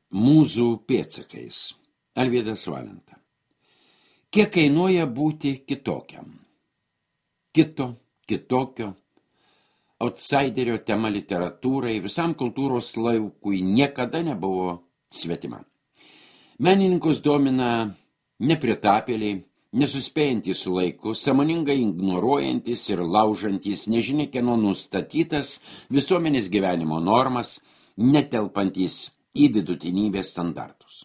Mūzų pėdsakais. Alvydas Valenta. Kiek kainuoja būti kitokiam? Kitokio, outsiderio tema literatūrai, visam kultūros laukui niekada nebuvo svetima. Menininkus domina nepritapėliai, nesuspėjantys su laiku, sąmoningai ignoruojantis ir laužantis nežinia kieno nustatytas visuomenės gyvenimo normas, netelpantys į vidutinybės standartus.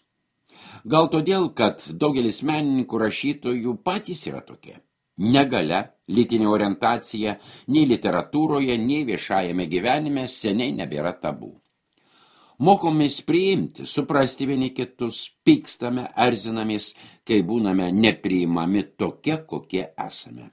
Gal todėl, kad daugelis menininkų rašytojų patys yra tokie. Negalia, lytinė orientacija nei literatūroje, nei viešajame gyvenime seniai nebėra tabų. Mokomės priimti, suprasti vieni kitus, pykstame, erzinamės, kai būname nepriimami tokie, kokie esame.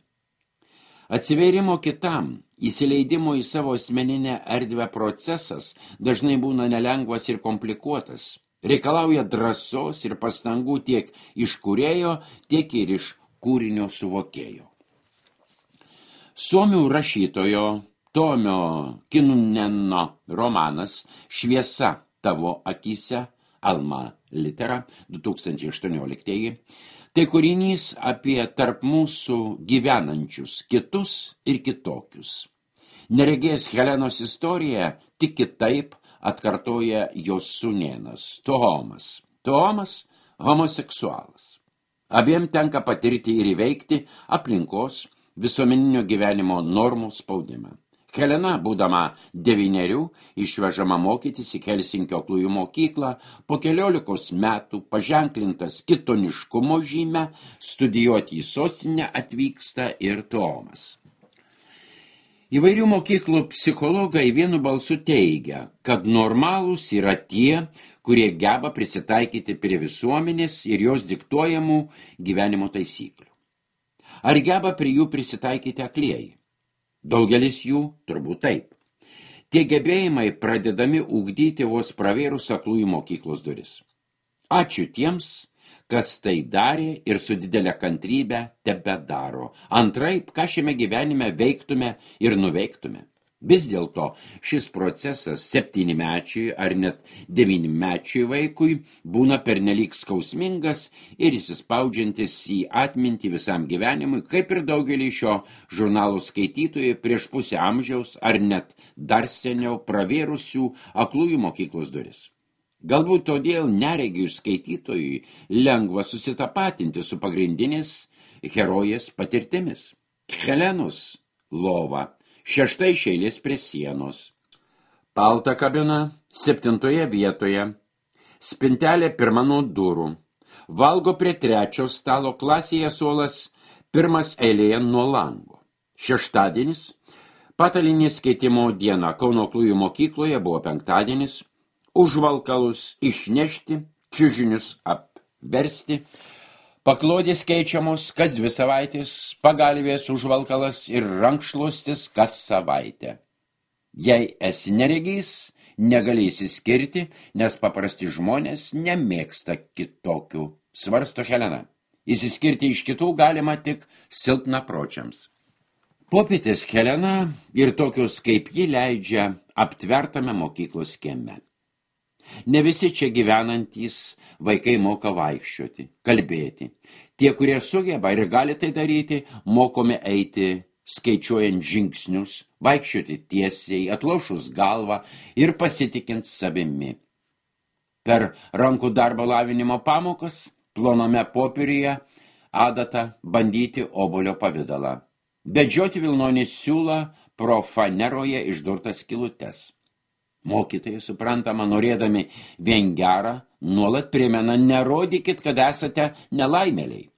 Atsivėrimo kitam, įsileidimo į savo asmeninę erdvę procesas dažnai būna nelengvas ir komplikuotas. Reikalauja drąsos ir pastangų tiek iš kūrėjo, tiek ir iš kūrinio suvokėjo. Suomių rašytojo Tomio Kinuneno romanas Šviesa tavo akyse, Alma Litera, 2018, tai kūrinys apie tarp mūsų gyvenančius kitus ir kitokius. Neregės Helenos istoriją tik kitaip atkartoja jos sūnėnas Tomas. Tomas homoseksualas. Abiem tenka patirti ir įveikti aplinkos visuomeninio gyvenimo normų spaudimą. Helena, būdama 9, išvežama mokytis į Helsinkio aklųjų mokyklą, po 14 metų paženklintas kitoniškumo žymę, studijuoti į sostinę atvyksta ir Tomas. Įvairių mokyklų psichologai vienu balsu teigia, kad normalūs yra tie, kurie geba prisitaikyti prie visuomenės ir jos diktuojamų gyvenimo taisyklių. Ar geba prie jų prisitaikyti aklieji? Daugelis jų turbūt taip. Tie gebėjimai pradedami ugdyti vos pravėrus aklųjų mokyklos duris. Ačiū tiems, kas tai darė ir su didelė kantrybė tebedaro. Antraip, ką šiame gyvenime veiktume ir nuveiktume. Vis dėlto šis procesas 7-mečiui ar net 9-mečiui vaikui būna pernelyg skausmingas ir įsispaudžiantis į atmintį visam gyvenimui, kaip ir daugelį šio žurnalo skaitytojų prieš pusę amžiaus ar net dar seniau pravėrusių aklųjų mokyklos duris. Galbūt todėl neregių skaitytojui lengva susitapatinti su pagrindinės herojės patirtimis. Helenos lova 6 eilės prie sienos. Palta kabina 7 vietoje. Spintelė 1 nuo durų. Valgo prie 3 stalo, klasėje suolas 1 eilėje nuo lango. Šeštadienis. Patalinės skaitimo diena Kauno aklųjų mokykloje buvo 5. Užvalkalus išnešti, čiužinius apversti, paklodės keičiamos kas 2 savaitės, pagalvės užvalkalas ir rankšluostis kas savaitę. Jei esi neregys, negalėsi skirti, nes paprasti žmonės nemėgsta kitokių, svarsto Helena. Įsiskirti iš kitų galima tik silpnapročiams. Popietės Helena ir tokios kaip ji leidžia aptvertame mokyklos kieme. Ne visi čia gyvenantys vaikai moka vaikščioti, kalbėti. Tie, kurie sugeba ir gali tai daryti, mokomi eiti skaičiuojant žingsnius, vaikščioti tiesiai, atlošus galvą ir pasitikint savimi. Per rankų darbo lavinimo pamokas, ploname popieriuje, adata bandyti obuolio pavidalą. Bedžioti vilnonį siūlą pro faneroje išdurtas skylutes. Mokytojai, suprantama, norėdami vien gerą, nuolat primena, nerodykit, kad esate nelaimėliai.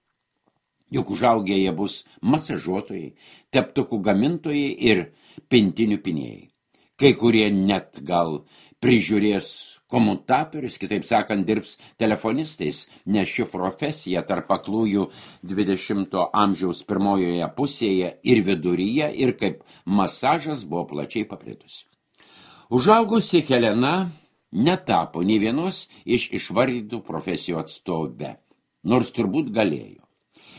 Juk užaugę jie bus masažuotojai, teptukų gamintojai ir pintinių pinėjai. Kai kurie net gal prižiūrės komutatorius, kitaip sakant, dirbs telefonistais, nes ši profesija tarp aklųjų 20 amžiaus pirmojoje pusėje ir viduryje ir kaip masažas buvo plačiai paplitusi. Užaugusi Helena netapo nei vienos iš išvardytų profesijų atstovė, nors turbūt galėjo.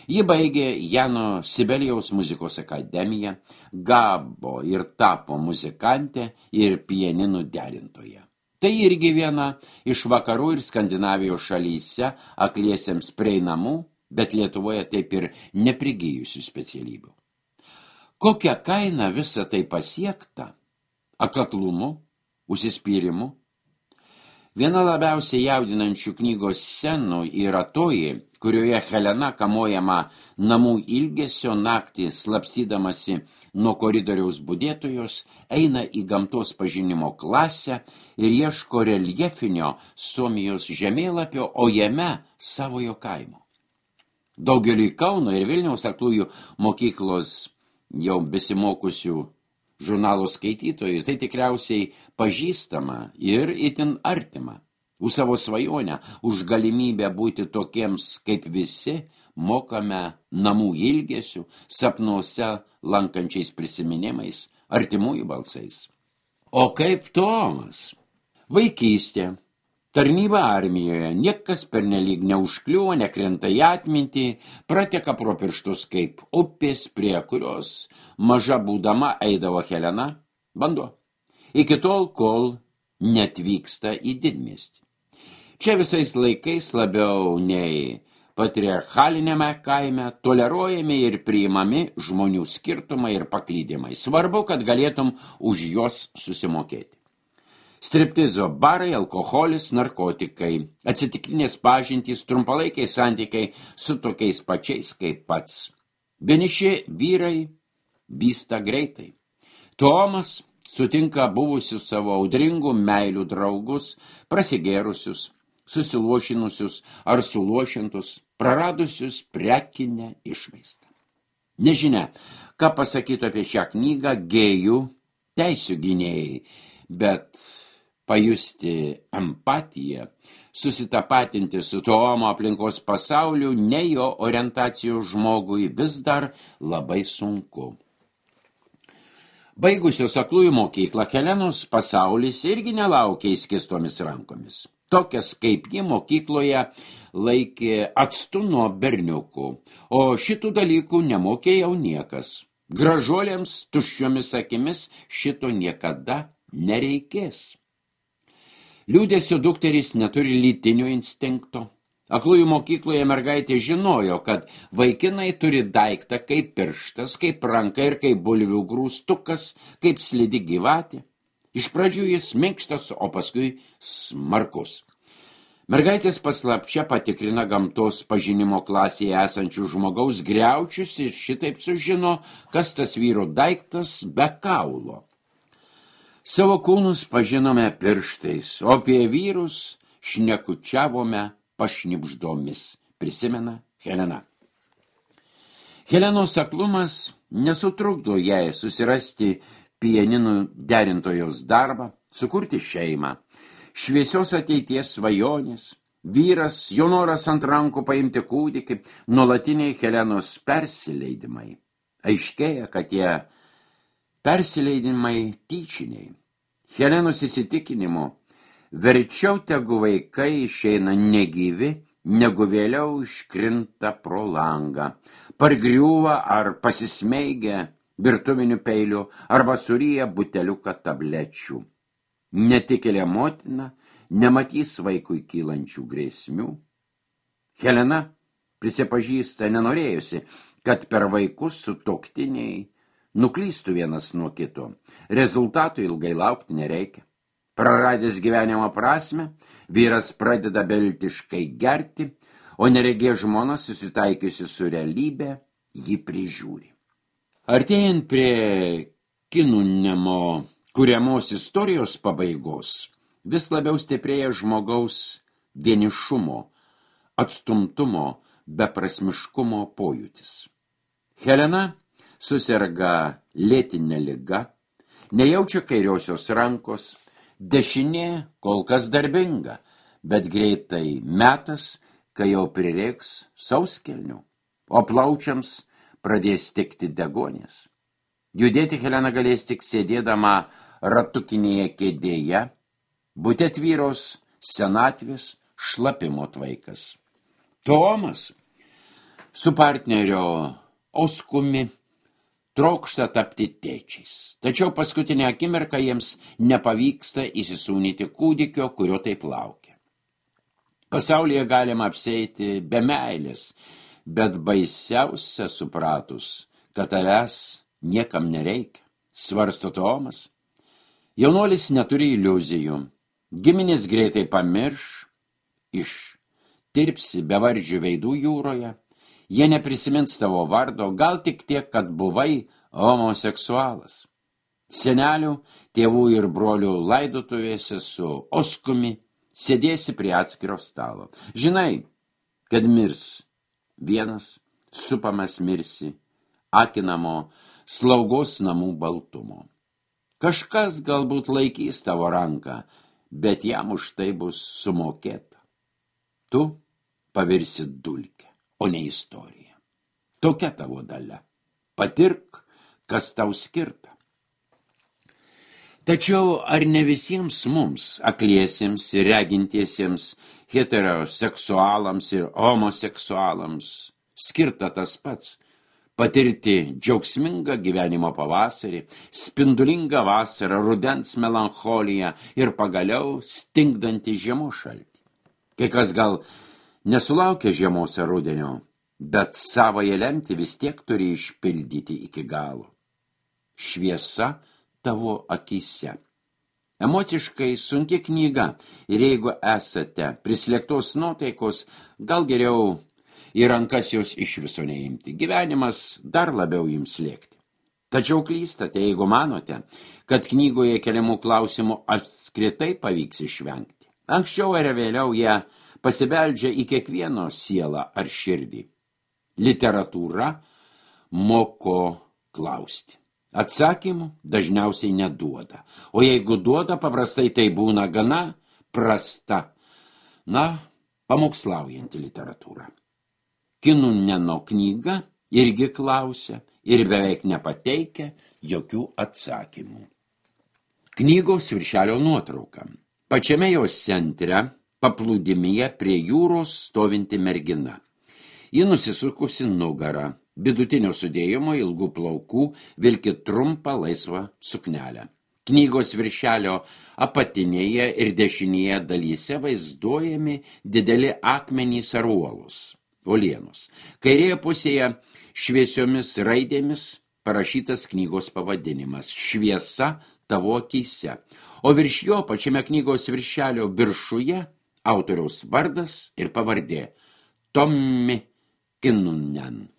Ji baigė Jano Sibelijaus muzikos akademiją, gavo ir tapo muzikantė ir pianinų derintoje. Tai irgi viena iš vakarų ir Skandinavijos šalyse akliesiems prieinamų, bet Lietuvoje taip ir neprigijusių specialybių. Kokia kaina visa tai pasiekta? Akatlumu, užsispyrimu? Viena labiausiai jaudinančių knygos scenų yra toji, kurioje Helena kamuojama namų ilgesio naktį slapstydamasi nuo koridoriaus budėtojos, eina į gamtos pažinimo klasę ir ieško reljefinio Suomijos žemėlapio, o jame savojo kaimo. Daugeliui Kauno ir Vilniaus aklųjų mokyklos jau besimokusių žurnalo skaitytojų tai tikriausiai pažįstama ir itin artima. Už savo svajonę, už galimybę būti tokiems kaip visi, mokame namų ilgesių, sapnuose lankančiais prisiminimais, artimųjų balsais. O kaip Tomas? Vaikystė, tarnyba armijoje, niekas pernelyg neužkliuvo, nekrenta į atmintį, prateka pro pirštus kaip upės, prie kurios maža būdama eidavo Helena, vanduo. Iki tol, kol neatvyksta į didmiestį. Čia visais laikais labiau nei patriarchalinėme kaime toleruojami ir priimami žmonių skirtumai ir paklydimai. Svarbu, kad galėtum už juos susimokėti. Striptizo barai, alkoholis, narkotikai, atsitiktinės pažintys, trumpalaikiai santykiai su tokiais pačiais kaip pats. Vieniši vyrai vysta greitai. Tomas sutinka buvusius savo audringų meilių draugus, prasigėrusius, susilošinusius ar sulošintus, praradusius prekinę išvaizdą. Nežinia, ką pasakytų apie šią knygą gėjų teisių gynėjai, bet pajusti empatiją, susitapatinti su Tomo aplinkos pasauliu, ne jo orientacijos žmogui vis dar labai sunku. Baigusios aklųjų mokyklą, Helenos pasaulis irgi nelaukia įskistomis rankomis. Tokias kaip ji mokykloje laikė atstu nuo berniukų, o šitų dalykų nemokė jau niekas. Gražuolėms tuščiomis akimis šito niekada nereikės. Liūdėsio dukterys neturi lytinio instinkto. Aklųjų mokykloje mergaitė žinojo, kad vaikinai turi daiktą kaip pirštas, kaip ranka ir kaip bulvių grūstukas, kaip slidi gyvatė. Iš pradžių jis minkštas, o paskui smarkus. Mergaitės paslapčia patikrina gamtos pažinimo klasėje esančių žmogaus griaučius ir šitaip sužino, kas tas vyro daiktas be kaulo. Savo kūnus pažinome pirštais, o apie vyrus šnekučiavome pašnibždomis, prisimena Helena. Helenos aklumas nesutrukdo jai susirasti pianinų derintojos darbą, sukurti šeimą, šviesios ateities svajonės, vyras, jo noras ant rankų paimti kūdikį, nuolatiniai Helenos persileidimai. Aiškėja, kad tie persileidimai tyčiniai. Helenos įsitikinimu, verčiau tegu vaikai išeina negyvi, negu vėliau iškrinta pro langą, pargriūva ar pasismeigia virtuvinių peilių arba suryja buteliuką tablečių. Netikėlė motina nematys vaikui kylančių grėsmių. Helena prisipažįsta nenorėjusi, kad per vaikus sutuoktiniai nuklystų vienas nuo kito. Rezultatų ilgai laukti nereikia. Praradęs gyvenimo prasmę, vyras pradeda beviltiškai gerti, o neregė žmona susitaikiusi su realybė jį prižiūri. Artėjant prie Kinunemo kuriamos istorijos pabaigos, vis labiau stiprėja žmogaus vienišumo, atstumtumo, beprasmiškumo pojūtis. Helena suserga lėtinė liga, nejaučia kairiosios rankos, dešinė kol kas darbinga, bet greitai metas, kai jau prireiks sauskelnių, o plaučiams pradės tikti degonės. Judėti Helena galės tik sėdėdama ratukinėje kėdėje, bute tvyros senatvės šlapimo tvaikas. Tomas su partnerio Oskumi trokšta tapti tėčiais. Tačiau paskutinę akimirką jiems nepavyksta įsisūnyti kūdikio, kurio taip laukia. Pasaulyje galima apsieiti be meilės, bet baisiausia supratus, kad tavęs niekam nereikia, svarsto Tomas. Jaunuolis neturi iliuzijų, giminės greitai pamirš, ištirpsi bevardžių veidų jūroje, jie neprisimins tavo vardo, gal tik tiek, kad buvai homoseksualas. Senelių, tėvų ir brolių laidotuvėse su oskumi sėdėsi prie atskiro stalo. Žinai, kad mirs vienas, supamas mirsi, akinamo slaugos namų baltumo. Kažkas galbūt laikys tavo ranką, bet jam už tai bus sumokėta. Tu pavirsi dulkę, o ne istorija. Tokia tavo dalia. Patirk, kas tau skirta. Tačiau ar ne visiems mums, akliesiems ir regintiesiems, heteroseksualams ir homoseksualams, skirta tas pats – patirti džiaugsmingą gyvenimo pavasarį, spindulingą vasarą, rudens melancholiją ir pagaliau stingdantį žiemos šaltį. Kai kas gal nesulaukia žiemos ar rudenio, bet savąją lemtį vis tiek turi išpildyti iki galo. Šviesa tavo akise. Emociškai sunki knyga ir jeigu esate prislėgtos nuotaikos, gal geriau į rankas jos iš viso neimti. Gyvenimas dar labiau jums slėgti. Tačiau klystate, jeigu manote, kad knygoje keliamų klausimų apskritai pavyks išvengti. Anksčiau ar vėliau jie pasibeldžia į kiekvieno sielą ar širdį. Literatūra moko klausti. Atsakymų dažniausiai neduoda, o jeigu duoda, paprastai tai būna gana prasta, pamokslaujanti literatūra. Kinuneno knyga irgi klausia ir beveik nepateikia jokių atsakymų. Knygos viršelio nuotrauka. Pačiame jos centre, paplūdimyje prie jūros stovinti mergina. Ji nusisukusi nugarą. Vidutinio sudėjimo ilgų plaukų vilki trumpą laisvą suknelę. Knygos viršelio apatinėje ir dešinėje dalyse vaizduojami dideli akmenys ar uolienos. Kairėje pusėje šviesiomis raidėmis parašytas knygos pavadinimas Šviesa tavo akyse, o virš jo pačiame knygos viršelio viršuje autoriaus vardas ir pavardė Tommi Kinnunen.